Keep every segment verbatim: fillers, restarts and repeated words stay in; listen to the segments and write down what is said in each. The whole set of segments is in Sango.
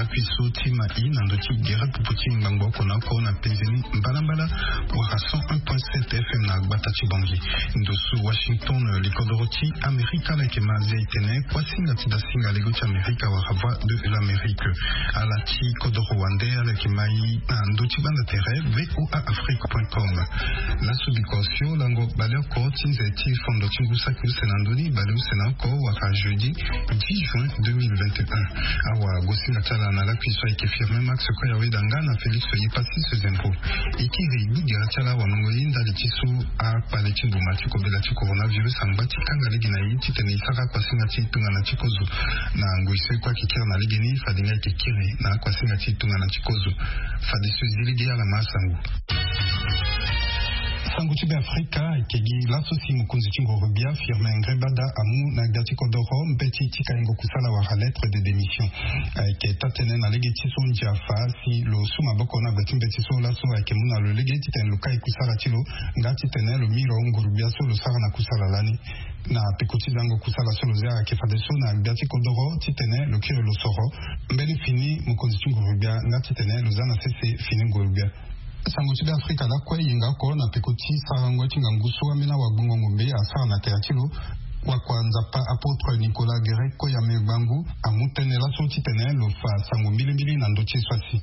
Piso ti ma i na ndo ti gere pupu ti ngbangbo oko na oko na penze ni mbalambala. Wara cent un point sept F M na gbata ti Bangui. Ndo so Washington, likodoro ti Amerika, ala yeke ma Asia itene kuasinga ti dasinga lego ti Amerika wala Voix de l'Amérique. Ala ti kodoro wande, ala yeke ma i na ndo ti gbanda tere V O A Afrique point com. Laso bikua osio lango baleoko ti nze ti fondo ti ngu saki use na ndö ni baleuse na oko wala jeudi dix juin deux mille vingt et un. Awa gosinga ti ala na lakui so ayeke Firmin Max Koyaweda nga na Félix Yepassis Zenko. E kiri gbigera ti ala wanongo ye ndali ti so akpale ti mbuma ti kobela ti coronavirus angba ti kanga lege na e titene e sara akuasinga ti tongana ti kozo. Na ngoi so e kue ayeke kiri na legeni fade nga ayeke kiri na akuasinga ti tongana ti kozo. Fadeso e zi lege ala ma asango. Sango ti Beafrika ayeke gi laso si mokonzi ti nguru-gbia Firmin Ngrébada amu na gbia ti kodoro mbeti ti kaingo kusala wala lettre de démission. Ayeke taa-tënë na lege ti so ndia fa si lo su maboko na gbe ti mbeti so laso ayeke mu na lo lege titene lo kai kusala ti lo nga titene lo miro nguru-gbia so lo sara na kusala lani. Na peko ti zango kusala so lo zia ayeke fadeso na gbia ti kodoro titene lo kiri lo soro mbeni fini mokonzi ti nguru-gbia nga titene lo za na sese fini nguru-gbia. Sango ti Beafrika lakue e yenga oko na peko ti sarango ti ngangu so ambeni awagbongo ngombe asara na tere ti lo. Wakua Nzapa apôtre Nicolas Guéret Koyame Gbangu amu tënë laso titene lo fa sango mbilimbili na ndö ti e so asi.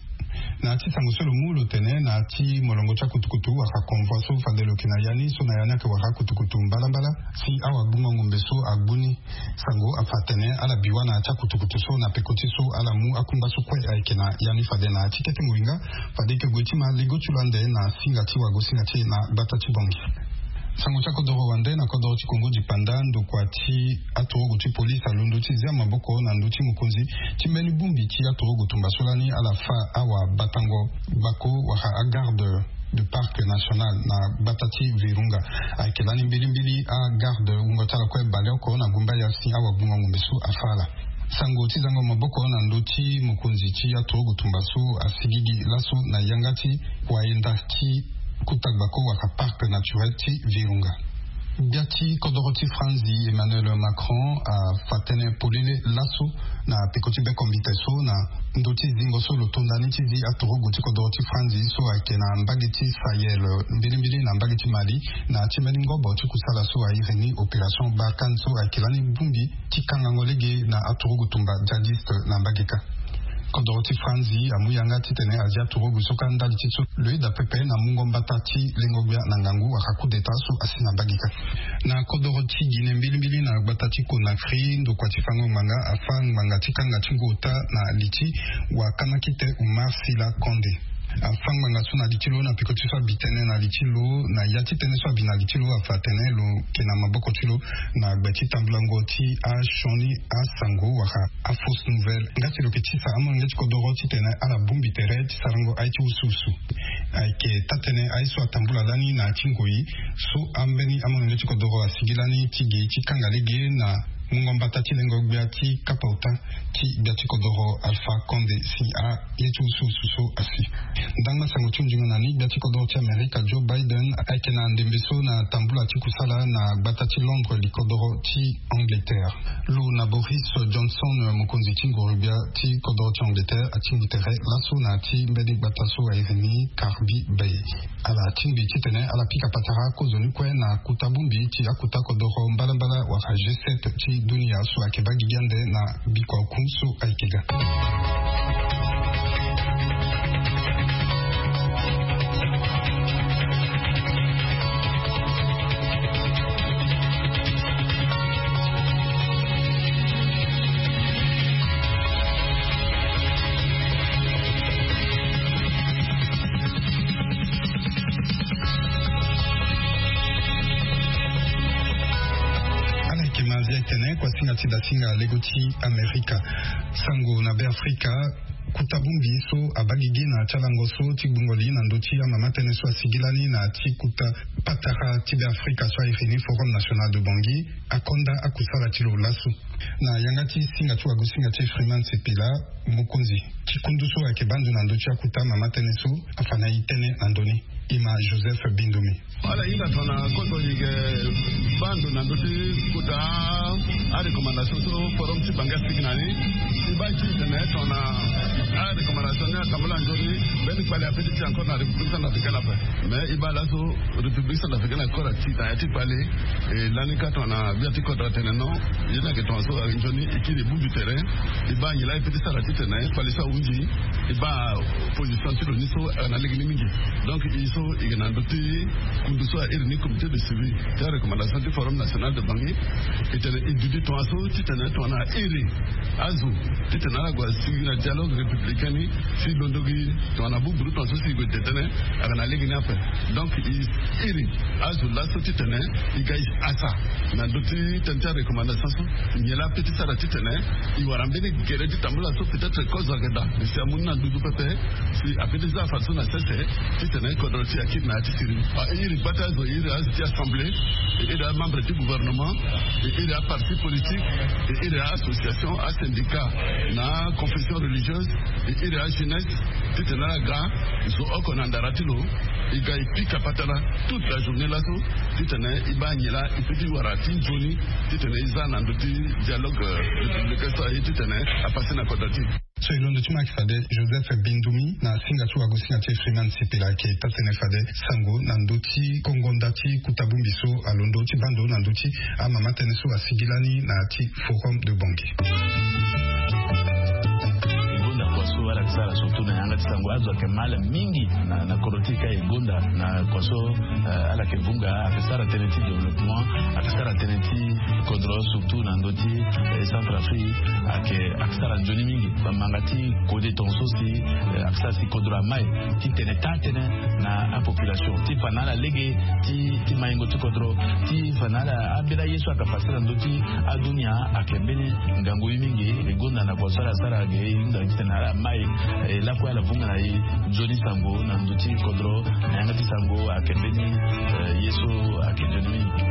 Na ya ti sango so lo mu lo tene na ya ti molongo ti akutukutu wala convoi so fade lo yeke na ya ni so na ya ni ayeke wara akutukutu mbalambala si awagbongo ngombe so agbu ni. Sango afa atene ala bi wâ na ya ti akutukutu so na peko ti so ala mu akungba so kue ayeke na ya ni fade na ya ti kete ngoi nga fade e yeke gue ti ma lego ti lo ande na singa ti wagosinga ti e na gbata ti Bangui. Sango ti akodoro wande na kodoro ti Kongo dipanda ndokua ti aturugu ti polise alondo ti zia maboko na ndö ti mokonzi ti mbeni bongbi ti aturugu tumba so lani ala fa awabatango gbako wala agarde du parc national na gbata ti Virunga. Ayeke lani mbilimbili agarde wungo ti ala kue baleoko na gumbaya si awagbongo ngombe so afa ala. Sango ti zango maboko na ndö ti mokonzi ti aturugu tumba so asigigi laso na yanga ti wayenda ti kuta gbako wala parc naturel ti Virunga. Gbia ti kodoro ti Franzi Emmanuel Macron afa tënë polele laso na peko ti bekombite so na ndö ti zingo so lo to ndani ti zi aturugu ti kodoro ti Franzi so ayeke na mbage ti Sahel mbilimbili na mbage ti Mali na ya ti mbeni ngobo ti kusala so airi ni opération Barkhane so ayeke lani bongbi ti kangango lege na aturugu tumba djihadiste na mbage kâ. Kodoro ti Franzi amu yanga titene azia turugu so kâ ndali ti so lo yeda pepe na mungo mbata ti lengo-gbia na ngangu wala coup d'état so asi na mbage kâ. Na kodoro ti Guinée mbilimbili na gbata ti Conakry ndokua ti fango ngbanga afa ngbanga ti kanga ti ngu ota na li ti wakanakite Umar Sila Condé. Afa ngbanga so na li ti lo na peko ti so abi tënë na li ti lo na ya ti tënë so abi na li ti lo afa atene lo yeke na maboko ti lo na gbe ti tambulango ti asioni asango wala afausse nouvelle nga si lo yeke tisa amolenge ti kodoro titene ala bongbi tere ti sarango aye ti wusuwusu. Ayeke taa-tënë aye so atambula lani na ya ti ngoi so ambeni amolenge ti kodoro asigi lani ti gi ti kanga lege na mungo mbata ti lengo-gbia ti kapa ota ti gbia ti kodoro Alpha Condé si aye ti wusuwusu so asi. Ndangba sango ti nzunga na ni gbia ti kodoro ti Amerika Joe Biden ayeke na ndembe so na tambula ti kusala na gbata ti Londres likodoro ti Angleterre. Lo na Boris Johnson mokonzi ti nguru-gbia ti kodoro ti Angleterre atingbi tere laso na ya ti mbeni gbata so airi ni Carby Bay. Ala tingbi titene ala pika patara kozoni kue na kota bongbi ti akota kodoro mbalambala wala G sept ti dunia so ayeke baa gigi ande na bikua oku so ayeke ga. Ala yeke ma Azia tene kuasinga ti dasinga lego ti Amerika. Sango na Beafrika. Kota bongbi so abaa gigi na ya ti alango so ti gbungo li na ndö ti amama tënë so asigi lani na ya ti kota patara ti Beafrika so airi ni Forum National de Bangui akonda akusala ti lo laso. Na yanga ti singa ti wagosinga ti Freeman Sipila, mokonzi ti kundu so ayeke baa ndo na ndö ti akota mama tënë so afa na e tënë na ndö ni. Ima Joseph Bindumi. Ala hinga tongana kodro e yeke baa ndo na ndö ti kota arecommandation so forum ti Bangui asigi na ni. E baa titene tongana arecommandation ni atambula nzoni, mbeni kpale ape ti tï encore na République centrafricaine ape. Mais e baa laso République centrafricaine encore ati na ya ti kpale. E lani kâ tongana gbia ti kodro atene non, ye ni ayeke tongaso. Nzoni e kiri e bouge terrain. E baa nyen laa e peut ti sara titene kpale so ahunzi. E baa position ti lo ni so ayeke na lege ni mingi. Donc e so e yeke na ndö ti kundu so a iri ni comité de suivi ti arecommandation ti forum national de Bangui. E tene e duti tongaso titene tongana a iri azo titene ala gue asigi na dialogue républicain ni. Si londo gi tongana buburu tongaso si e gue tene ayeke na lege ni ape. Donc e iri azo laso titene e ga e asa na ndö ti tënë ti arecommandation so. Nyen laa ape ti sara titene e wara mbeni gere ti tambula so peut-être kozo ayeke daa. E si amu ni na nduzu pepe. Si ape ti za afa so na sese titene kodro ti e akiri na ya ti siriri. E iri gbata azo, e iri azo ti assemblée, e iri amembre ti gouvernement, e iri aparti politique, e iri aassociation, asyndicat, na aconfession religieuse, e iri ajeunesse, titene ala ga zo oko na ndara ti lo. E ga e pika patara toute la journée laso titene e baa nyen laa e peut ti wara ti nzoni titene e za na ndö ti dialogue républicain so aye titene apassé na kodro ti e. So e londo ti mo ayeke fade Joseph Bindumi na singa ti wagosinga ti e Freeman Sipila ayeke taa tënë fade sango na ndö ti kongo nda ti kuta bongbi so alondo ti baa ndo na ndö ti amama tënë so asigi lani na ya ti forum de Bangui. E gonda kua so ala yeke sara surtout na yanga ti sango azo ayeke mal mingi na, na kodro ti e ka e gonda na kua so, eh, ala yeke vunga, ayeke sara tënë ti développement, ayeke sara tënë ti kodro surtout na ndö ti, eh, Centrafrique, ayeke, ayeke sara nzoni mingi. Bamanga ti kode tongaso si, eh, ayeke sara si kodro amai titene taa tënë na apopulation ti fa na ala lege ti, ti maingo ti kodro, ti fa na ala ambeni aye so ayeke passé na ndö ti adunia ayeke mbeni ngangu ye mingi. E gonda na kua so ala sara ge e hunda titene ala mai, eh, lakue ala vunga na e nzoni sango na ndö ti kodro. Na yanga ti sango ayeke mbeni, eh, ye so ayeke nzoni mingi.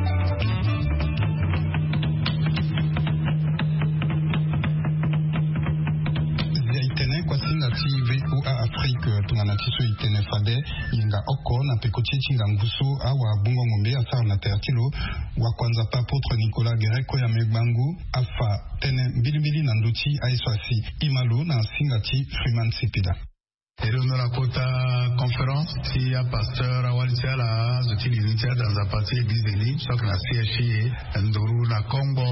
Zia e tene kuasinga ti VOA Afrique tongana ti so e tene fade yenga oko na peko ti e ti ngangu so awabungo-ngombe asara na tere ti lo. Wakuanzapa apôtre Nicolas Guéret Koyame Gbangu afa tënë mbilimbili na ndö ti aye so asi. Ima lo na singa ti Freeman Sipila. E londo na kota conférence ti apasteur awali ti ala, azo ti li ni ti adanzapa ti église de li so ayeke na C H I E Nduru na Kongbo.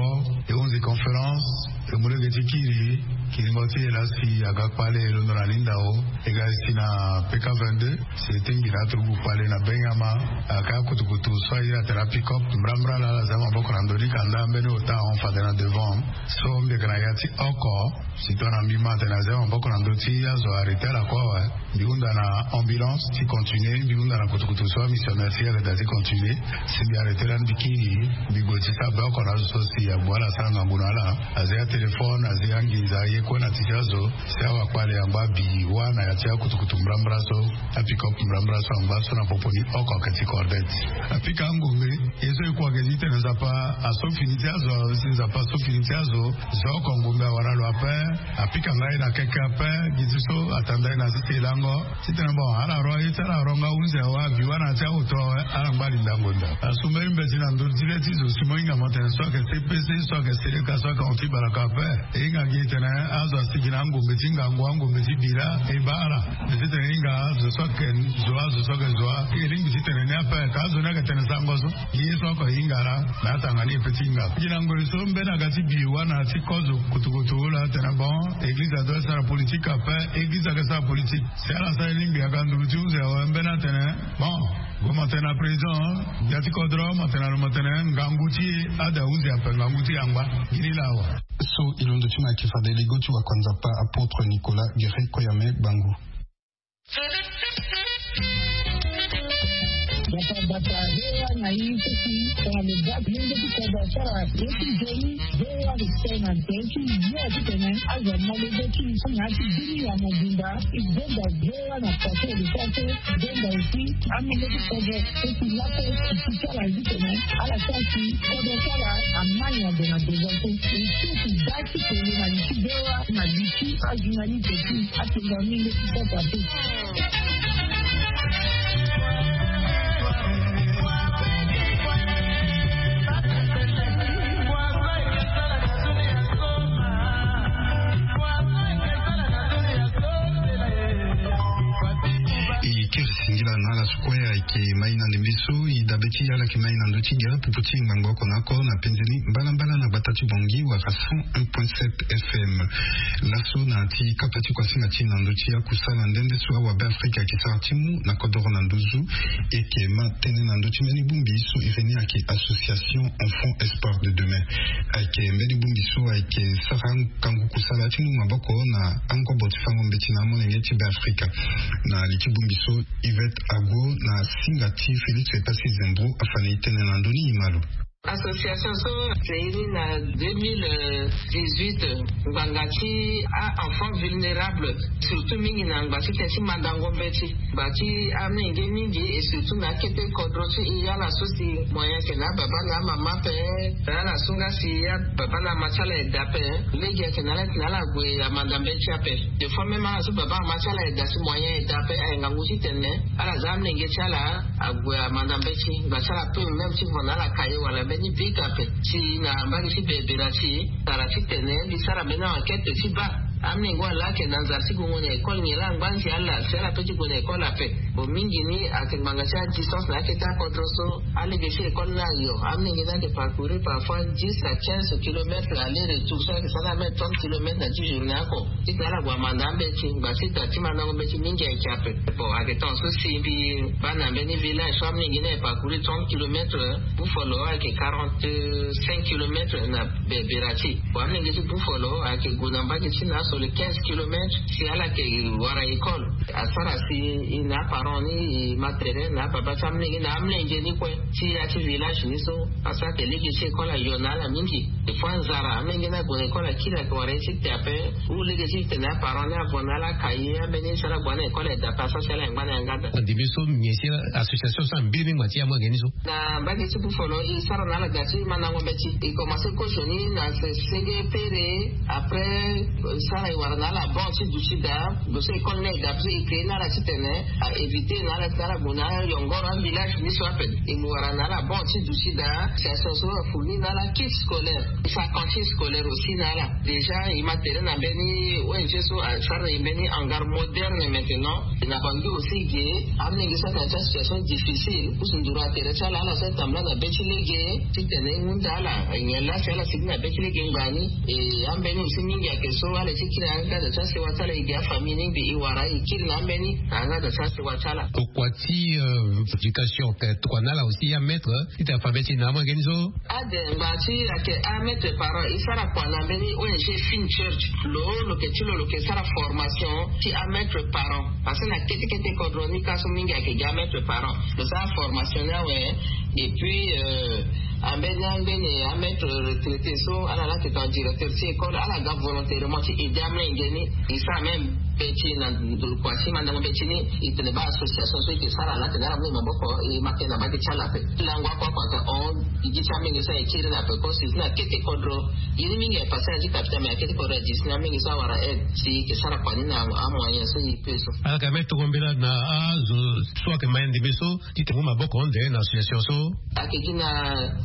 E hunzi conférence, e mu lege ti kiri kiringo ti e laa si aga kpale e londo na lindao. E ga e si na P K vingt-deux, si e tingbi na aturugu kpale na Benyama. Ayeke akutukutu so a iri atene apick-up mbrambra laa ala zia maboko na ndö ni kanda mbeni ota ahon fade na devant. So mbi yeke na ya ti oko. Si tongana mbi ma atene azia maboko na ndö ti azo arrêté ala kue awe. Mbi hunda na ambulance ti continuer, mbi hunda na kutukutu so amissionnaire ti e ayeke daa ti continuer. Si mbi arrêté lani mbi kiri, mbi gue ti sara be oko na azo so si agbu ala asara ngangu na ala. Azia téléphone, azia nginza, aye kue na ti ti azo. Si awakpale angba bi wâ na ya ti akutukutu mbrambra so, apick-up mbrambra so angba so na popo ni oko ayeke ti Cordette. Apika angombe. Ye so e kue ayeke ti tene Nzapa aso fini ti azo, si Nzapa aso fini ti azo. Zo oko ngombe awara lo ape. Apika nga ye na keke ape. Gi ti so atanda ye na sese lango. Titene bon, ala ro aye ti ala ro nga hunzi awe, abi wâ na ya ti aoto awe, ala ngba linda ngonda. Asu mbeni mbeti na ndö ti le ti zo si mo hinga mo tene so ayeke C P C, so ayeke Seleka, so ayeke hon ti baraka ape. E hinga gi tene azo asigi na angombe ti ngangu, angombe ti bira, e baa ala. E titene e hinga azo so ayeke zo, azo so ayeke zo, e lingbi titene ni ape ka azo ni ayeke tene sango so. Ye so oko e hinga laa na atanga ni e peut ti hinga. Gi na ngoi so mbeni aga ti bi wâ na ya ti kozo kutukutu laa atene bon, église adoit sara politique ape, église ayeke sara politique. Si ala sara e lingbi aga nduru ti hunzi awe mbeni atene bon, gue mo tene na président, ya ti kodro mo tene na lo mo tene ngangu ti e ada hunzi ape, ngangu ti e angba. Gi ni laa awe. So e londo ti mo ayeke fade lego ti wakuanzapa apôtre Nicolas Guéret Koyame Gbangu. Bata bata, V O A na ye so si tongana lo baa lenge ti kodro asara ye ti nzoni, V O A lo sara na tere ti ye titene azo amolenge ti so na ya ti bini ya mobimba. E gonda V O A na pase lo sara so, e gonda aussi amolenge ti kodro so si laso e si ti ala ye titene ala sara si kodro ti ala amai na ndo na ndo so. E so si baa ti kolo na li ti V O A na li ti ajournaliste ti atenga mingi ti sasa te. Na ala so kue ayeke mai na ndembe so, e dabe ti ala ayeke mai na ndö ti gere pupu ti ngbangbo oko na oko na penze ni mbalambala na gbata ti Bangui wala cent un point sept F M. Laso na ya ti kapa ti kuasinga ti e na ndö ti akusala nde nde so awabe Afrika ayeke sara ti mu na kodoro na nduzu, e yeke ma tënë na ndö ti mbeni bongbi so iri ni ayeke Association Enfants Espoirs de Demain. Ayeke mbeni bongbi so ayeke sara ngangu kusala ti mu maboko na angobo ti fango mbeti na amolenge ti Be Afrika. Na li ti bongbi so, Yvette Ago na singa ti Félix Passy Zembro afa na e tënë na ndö ni, e ma lo. Association so, e iri na deux mille dix-huit, ngbanga ti a-enfants vulnérables, surtout mingi na ngba ti tënë ti mandango mbeti, ngba ti amolenge mingi, et surtout na akete kodro ti e, ala so si moyen ayeke na ababa na amama ape, ala so nga si ababa na ama ti ala ayeke daa ape, lege ayeke na ala ti na ala gue amanda mbeti ape. Des fois même ala so baba ama ti ala ayeke daa si moyen ayeke daa ape, aye ngangu titene ala za amolenge ti ala ague amanda mbeti, ngba ti ala peut même ti vo na ala cahier wala mbeni bic ape. Si na mbage ti bebera ti e, tara titene mbi sara mbeni enquête ti baa amolenge wala ayeke na nzara ti gue gue na école nyen laa angba nze ala si ala peut ti gue na école ape. Bon, mingi ni ayeke ngbanga ti adistance na akete akodro so alege ti école ni ayo. Amolenge ni ayeke parcourir parfois dix à quinze kilomètres aller retour, so ayeke sara na même trente kilomètres na ti journée oko. Titene ala gue amanda ambeti, ngba ti da ti mandango mbeti mingi ayeke ape. Bon, ayeke temps so si mbi baa na mbeni village so amolenge ni ayeke parcourir trente kilomètres, Buffalo ayeke quarante-cinq kilomètres na bebera ti e. Bon, amolenge ti Buffalo ayeke gue na mbage ti na so le quinze kilomètres si ala yeke wara école. Asara si e na aparent ni e ma tere na ababa ti amolenge na amolenge ni kue ti ya ti village ni so, asara ake lege ti école ayo na ala mingi. Des fois nzara, amolenge ni ague na école akiri, ayeke wara ye ti te ape. Ou lege ti tene aparent ni avo na ala cahier, ambeni so ala gue na école ayeke daa ape, asara si ala yeke ngba na yanga daa. Andi mbi so, mbi si association so ambiri ni ngba ti amolenge ni so. Na mbage ti Buffalo e sara na ala daa ti mandango mbeti. E commencé kozo ni na se-, senge pere. Après, e sara e wara na ala banc ti duti daa. Lo so école ni ayeke daa, parce que e créé na ala titene a éviter na ala ti ala gue na ayongoro avillage ni so ape. E mu wara na ala banc ti duti daa. Association so afourni na ala kit scolaire. E sara cantine scolaire aussi na ala. Déjà e ma tere na mbeni O N G so asara e mbeni hangar moderne maintenant. Na Bangui aussi ge, amolenge so ayeke na ya ti association difficile, pusu nduru atere ti ala, ala so atambula na be ti lege titene e hunda ala. Nyen laa si ala sigi na be ti lege ngbani? E ambeni aussi mingi ayeke so ala ye ti kiri na yanga daa ti asewa ti ala, e ge afamille ni mbi e wara e kiri na ambeni na yanga daa ti asewa ti ala. Tokua ti, euh, éducation, tokua na ala aussi amaître, titene afa mbeti na amolenge ni so. Ade, ngba ti ayeke amaître parent, e sara kua na mbeni O N G Fin Church. Lo, lo yeke ti lo, lo yeke sara formation ti amaître parent. Parce que na kete kete kodro ni ka so mingi ayeke gi amaître parent. Lo sara formation ni awe. Et puis, euh, ambeni, ambeni amaître retraité so, ala laa ayeke tongana directeur ti école, ala ga volontairement ti aider amolenge ni. E sara même mbeti na ndokua ti mandango mbeti ni, e tene baa association so e yeke sara laa atene ala mu e maboko, e ma ke na mbage ti ala ape. Lango oko oko ayeke hon, e gi ti amolenge so ayeke kiri na ape, ko si na kete kodro. Ye ni mingi ayeke passé na ya ti capital, mais na kete kodro ayeke gi ti amolenge so awara aide si e yeke sara kua ni na amoyen so e peut so. Ala yeke même toko mbela na azo so ayeke ma ya ndembe so, titene e mu maboko ande na association so. Ayeke gi na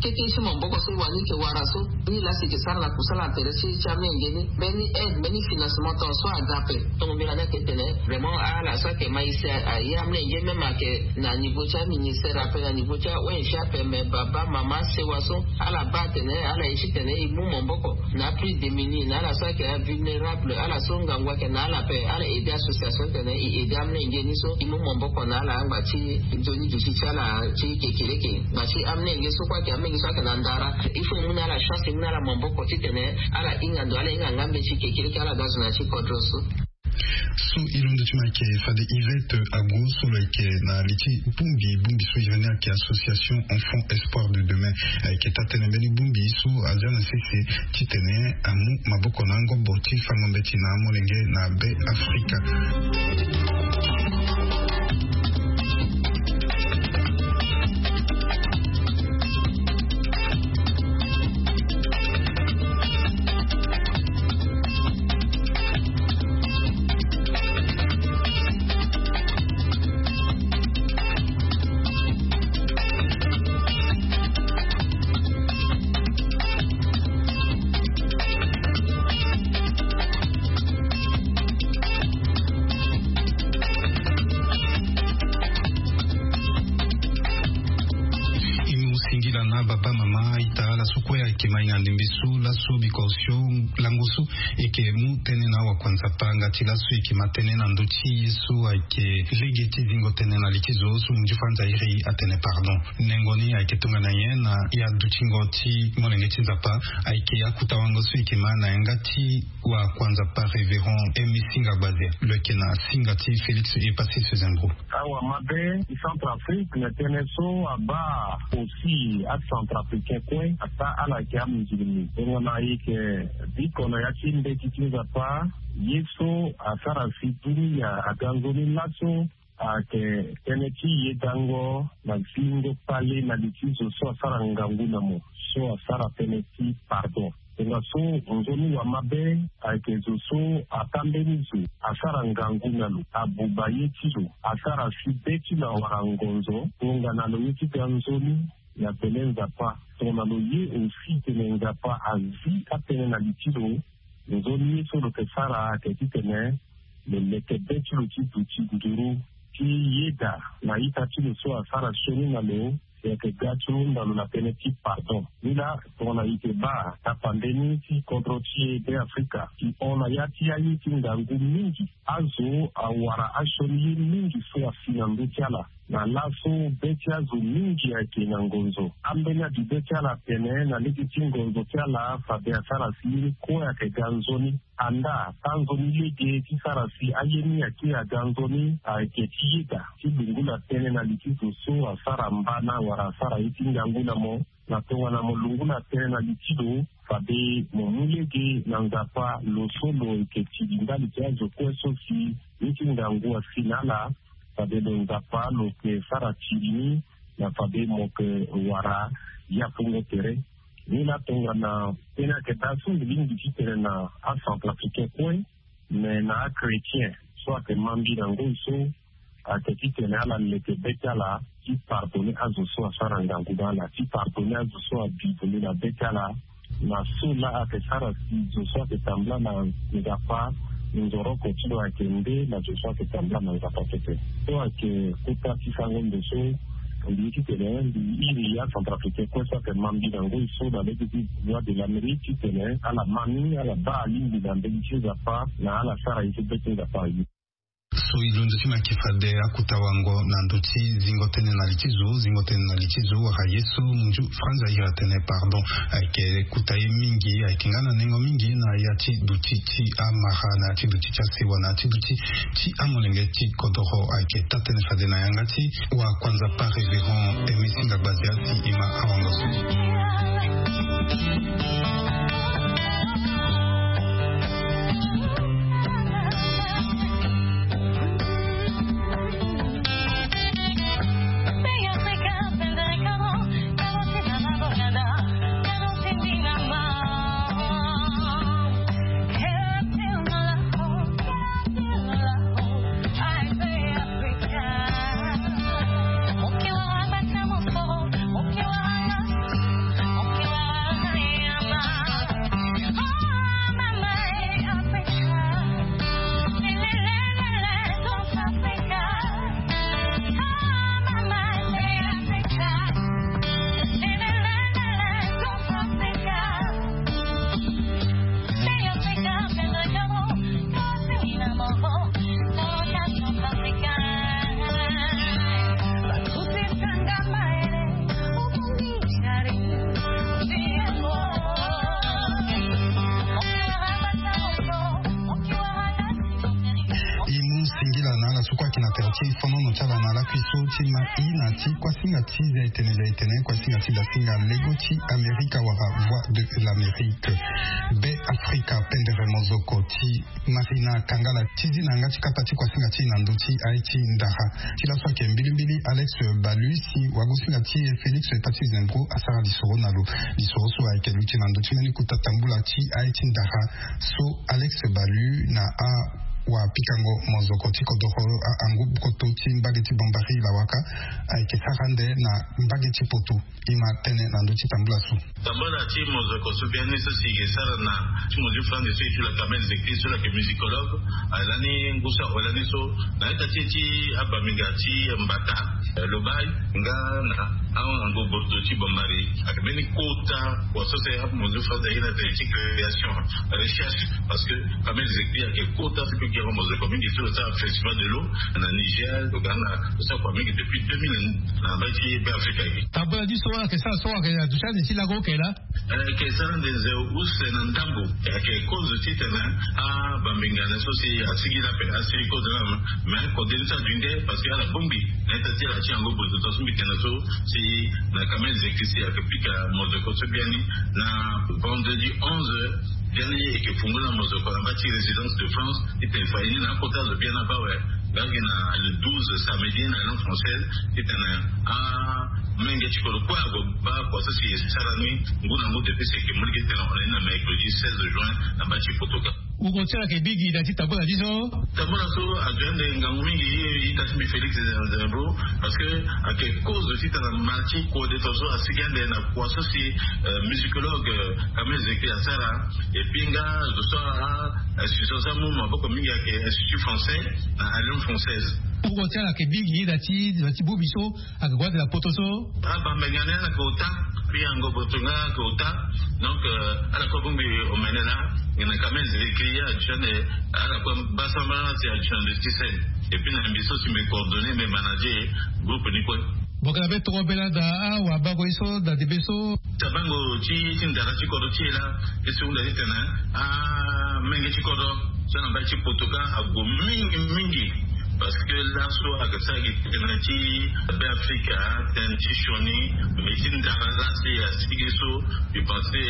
kete ti maboko so e wani e yeke wara so. Ni laa si e yeke sara na kusala na tere ti, ti amolenge ni. Mbeni aide, mbeni financement tongaso so aga ape. Tongo mbela ni ayeke tene vraiment ala so ayeke ma e si a, a, aye amolenge même ayeke na niveau ti aministère ape, na niveau ti a O N G ape, mais baba, mama, sewa so ala baa atene ala ye titene e mu maboko na plus démunis, na ala so ayeke avulnérable, ala so ngangu ayeke na ala ape, ala aider association titene e aider amolenge ni so e mu maboko na ala angba ti nzoni duti ti ala ti kekereke. Ngba ti amolenge so kue ayeke amolenge so ayeke na ndara, il faut e mu na ala chance, e mu na ala maboko titene ala hinga ndo, ala hinga nga mbeti kekereke, ala ga zo na ya ti kodro so. So e londo ti mo ayeke fade Yvette Ago so lo yeke na li ti bongbi, bongbi so iri ni ayeke Association Enfants Espoirs de Demain. Ayeke taa tënë mbeni bongbi so azia na sese titene amu maboko na angobo ti fango mbeti na amolenge na Be Afrika. Baba, mama, ita, ala so kue ayeke ma hinga ndembe so laso biko osio lango so eke mu tënë na awa kua nzapa nga ti laso eke ma tënë na ndö ti ye so ayeke lege ti zingo tënë na li ti zo so munzu franza iri atene pardon. Nengo ni ayeke tongana nyen na ya dutingo ti molenge ti nzapa? Ayeke akuta wango so eke ma na yanga ti wa kua nzapa révérend Emi Singa Gbazia, lo yeke na singa ti Félix Epasis Zengro. Awa mabe ti Centrafrique na tënë so abaa aussi acentrafricain kue ata ala yeke amusulmi. Tongana e yeke biko na ya ti mbeti ti nzapa, ye so asara si dunia aga nzoni laso ayeke tënë ti yedango na zingo kpale na li ti zo so asara ngangu na mo, so asara tënë ti pardon. Tongaso nzoni wa mabe ayeke zo so ata mbeni zo asara ngangu na lo, abuba ye ti lo, asara si be ti lo awara ngonzo, tongana lo ye ti ga nzoni na pele nzapa. Tongana lo ye aussi tene nzapa azi atënë na li ti lo, nzoni ye so lo yeke sara ayeke titene lo leke be ti lo ti duti nduru ti yeda na ita ti lo so asara sioni na lo, e yeke ga ti hunda lo na tënë ti pardon. Ni laa tongana e yeke baa tapande ni ti kodro ti e Beafrika, e hon na ya ti aye ti ngangu mingi. Azo awara asioni ye mingi so asi na ndö ti ala. Na laso be ti azo mingi ayeke na ngonzo. Ambeni abi be ti ala atene na lege ti ngonzo ti ala fade asara si ye ni kue ayeke ga nzoni. Andaa tanzoni lege ti sara si aye ni ake aga nzoni ayeke ti yeda ti lungula tënë na li ti zo so asara mbana wala asara ye ti ngangu na mo. Na tongana mo lungula tënë na li ti lo, fade mo mu lege na nzapa lo so lo yeke tiri ndali ti azo kue so si ye ti ngangu asi na ala. Fade lo nzapa lo yeke sara tiri ni na fade mo yeke wara yapungo tere. Ni laa tongana tënë ayeke daa so mbi lingbi titene na acentrafricain kue, me na achrétien so ayeke ma mbi na ngoi so ayeke titene ala leke be ti ala ti pardonner azo so asara ngangu na ala, ti pardonner azo so abi vundu na be ti ala. Na so laa ayeke sara si zo so ayeke tambula na nzapa nzoroko ti lo ayeke nde na zo so ayeke tambula na nzapa pepe. So ayeke kota ti sango ndo so mbi ye titene mbi iri acentrafricain kue so ayeke ma mbi na ngoi so na lege ti Voix de l'Amérique titene ala ma ni, ala baa alingbi na mbeni ti nzapa na ala sara ye ti be ti nzapa aye. So e londo ti mo ayeke fade akuta wango na ndö ti zingo tënë na li ti zo, zingo tënë na li ti zo wala ye so munzu franza iri atene pardon. Ayeke kuta ye mingi, ayeke nga na nengo mingi na ya ti duti ti amara, na ya ti duti ti asewa, na ya ti duti ti amolenge ti kodoro. Ayeke taa-tënë fade na yanga ti wa kua nzapa révérend Emi Singa Gbazia si e ma awango so. E mu singila na ala so kue ayeke na tere ti fonono ti ala na lakui so ti ma i na ti kuasinga ti zia etene zia etene, kuasinga ti dasinga lego ti Amerika wala Voix de l'Amérique. Be Afrika pendere mozoko ti Marina Kangala ti zi na yanga ti kapa ti kuasinga ti e na ndö ti aye ti ndara. Ti laso ayeke mbilimbili Alex Balu si wagosinga ti e Félix Patrice Zembro asara lisoro na lo. Lisoro so ayeke luti na ndö ti mbeni kota tambula ti aye ti ndara so Alex Balu na awapikango mozoko ti kodoro ahangu koto ti mbage ti Bambari Lawaka ayeke sara ande na mbage ti poto. E ma tene na ndö ti tambula so. Tambula ti mozoko so biani so si e sara na ti mozi fande so e ti la kamel zeki so la ke musicologue. Alani ngu so awe lani so na ita ti e ti abambinga ti mbata, lobai nga na ango bordo ti bambari. Ake mbeni kota kua so si amozi fande aye na tene ti création, recherche. Parce que kamel zeki ake kota so ke gere mozoko mingi so lo sara festival de l'eau na Niger, lo ga na lo sara kua mingi depuis deux mille na mbai ti be afrika ye. Tambula ti so ake sara so ake na duti ande ti lago oke laa. Eke sara nde nze use na ndambo. Eke kozo titene abambinga ne so si asigi lape asigi kozo na. Mais kode ni so adu nde parce que ala bongbi na ita ti ala ti yango bozo to so mbi tene so si na kamel zeki si ake pika mozoko so biani na vendredi onze biani eke fungula mozoko na mba ti résidence de France. Titene fa ye ni na akota zo bien na baa awe. Nga gi na le douze samedi na langue française titene amenge ti kodro kue ague baa kua so si e sara ni ngu na ngu depuis si eke molenge titene on est na mercredi seize juin na mba ti poto ka. Ngongo ti ala yeke bigi na ti tambula ti so. Tambula so azo ande ngangu mingi ye ita ti mbi Félix Zembro. Parce que ake kozo titene ma ti kode to so asigi ande na kua so si musicologue Kamel Zeki asara. Epuis nga zo so a institution so amu maboko mingi ayeke institut français na alliance française. Ngongo ti ala yeke bigi na ti na ti bubi so ayeke gue ande na poto so. Abambenge ni ala yeke ota. Puis yango boto nga ayeke ota. Donc ala kue bongbi omene laa. Nge na Kamel Zeki ye aduti ande ala kue baa sambala si aduti ande ti scène. Epuis na mbi so si mbi coordonné mbi manager groupe ni kue. Bongela be toro bela da awa bango ye so da debe so. Tabango ti ti ndara ti kodro ti e laa. Ye so hunda titene amenge ti kodro so na mbai ti poto ka ague mingi mingi. Parce que laso ake sara gi titene ti be afrika tene ti sioni. Mais ti ndara laa si asigi so mbi pense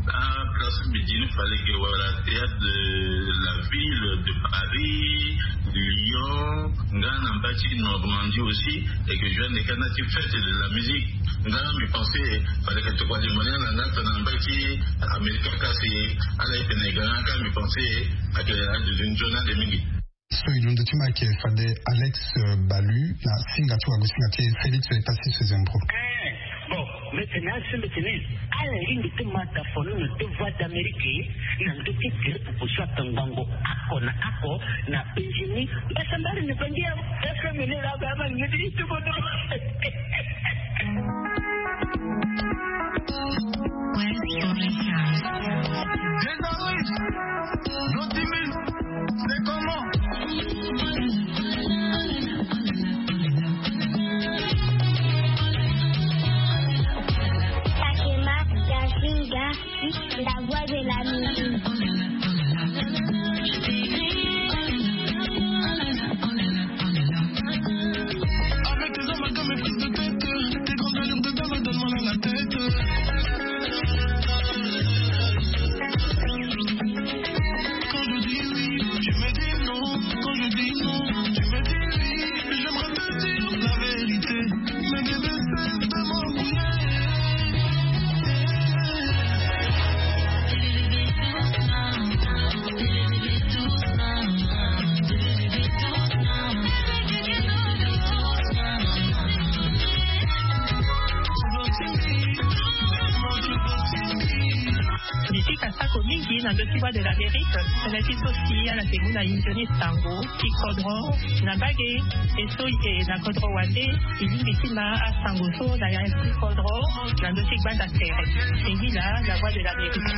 aplace mbi di ni fallait que wala théâtre de la ville de Paris, Lyon, nga na mbai ti Normandie aussi. Et que je viens de kana ti fête de la musique. Nga mbi pense fallait que tokua limo ni ala nga tongana mbai ti Amerika kasi ala ye tene ga nga ka mbi pense ake adudun nzoni ande mingi. So e londo ti ma ayeke fade Alex Balu na singa ti wago singa ti Félix Tasis Zembro. Bon, mbi tene asi mbi tene ala lingbi ti ma dafono na deux voix d'Amérique na ndö ti gere pupu so atongbango ako na ako na Benjini. Mbasambari ni bangi ya F M ni la ba ma ngedi ti kodo. Fatima Yasinga, la voix de la musique. Avec tes amalgames et prises de tête, tes grandes allures de dame donnent mal à la tête. Quand je dis oui, tu me dis non. Quand je dis non, tu me dis oui. J'aimerais te dire la vérité. Mais bébé, cesse de m'embrouiller. Mbi pika sako mingi na ndö ti Voix de l'Amérique. Tënë ti so si ala yeke mu na e nzoni sango ti kodro na mbage. E so e yeke na kodro wande e lingbi ti ma asango so na ya ti kodro na ndö ti gbanda tere. Singila, la Voix de l'Amérique.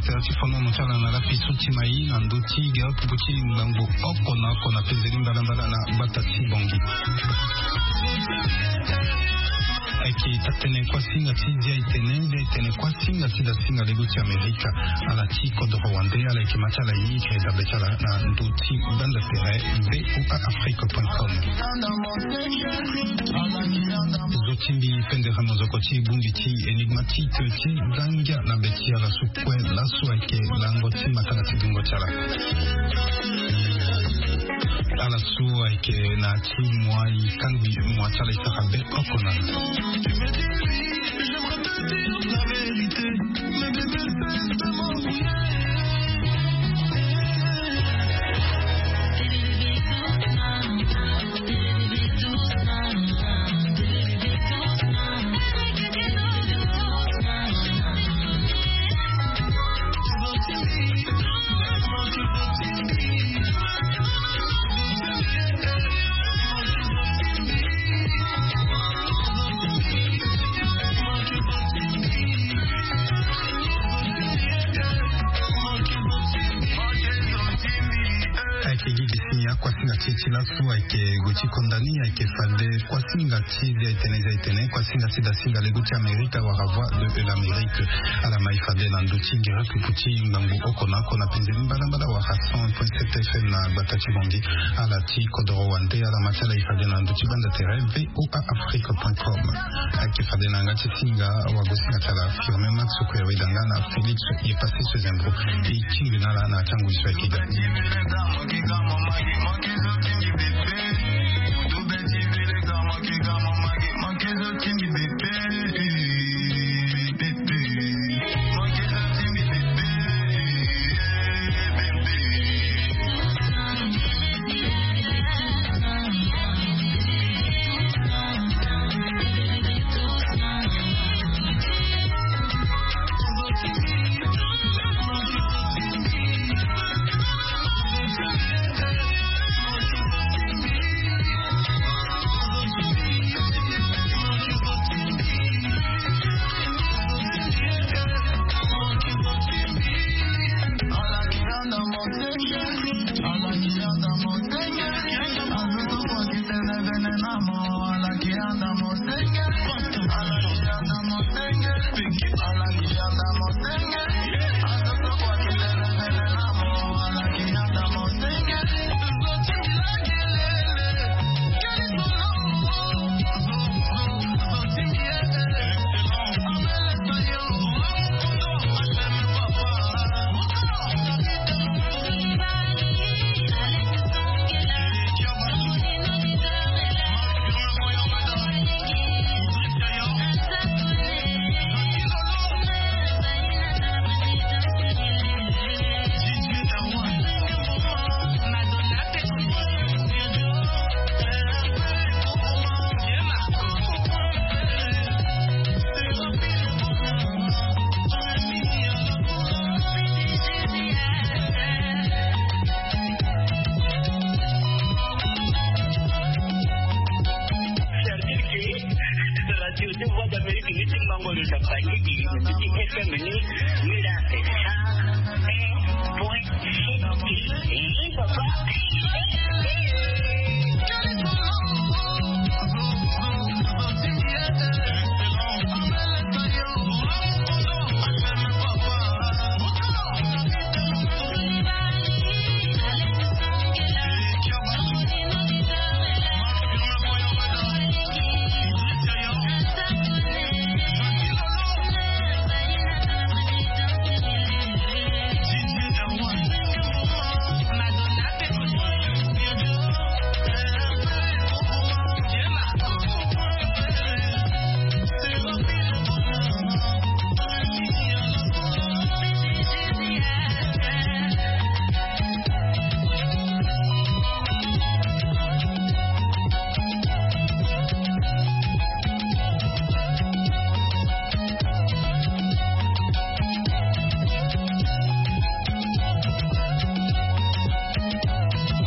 Sera ti fono mo ti ala na lapi so ti mai na ndö ti gere pupu ti ngbangbo oko na oko na pezeli mbalambala na gbata ti Bongi. Ayeke taa-tënë kuâ singa ti Zia Etene, Zia Etene kuâ singa ti da singa lego ti Amerika. Ala ti kodoro wande, ala yeke ma ti ala ye yeke dabe ti ala na ndö ti gbanda tere V O A Afrique point com. Zo ti mbi pendere mozoko ti bongbi ti Enigma ti tö ti zangia na be ti ala so kue laso ayeke lango ti matanga ti dungo ti ala. Ala so ayeke na ti moi kangbi moi ti ala e sara be oko na Ayeke gi gi si akuâ singa ti e ti laso ayeke gue ti konda ni, ayeke fade kuâ singa ti Zia Etene, Zia Etene kuâ singa ti da singa lego ti Amerika wala Voix de l'Amérique. Ala mai fade na ndö ti gere pupu ti ngbangbo oko na oko na penzeni mbalambala wala cent point sept F M na gbata ti Bongi. Ala ti kodoro wande, ala ma ti ala e fade na ndö ti gbanda tere V O A Afrique point com. Ayeke fade na yanga ti singa wagosinga ti ala Firmin Max Kouyaoué Danga na Félix Yepassi Sezembro. E tingbi na ala na tango e so ayeke ga.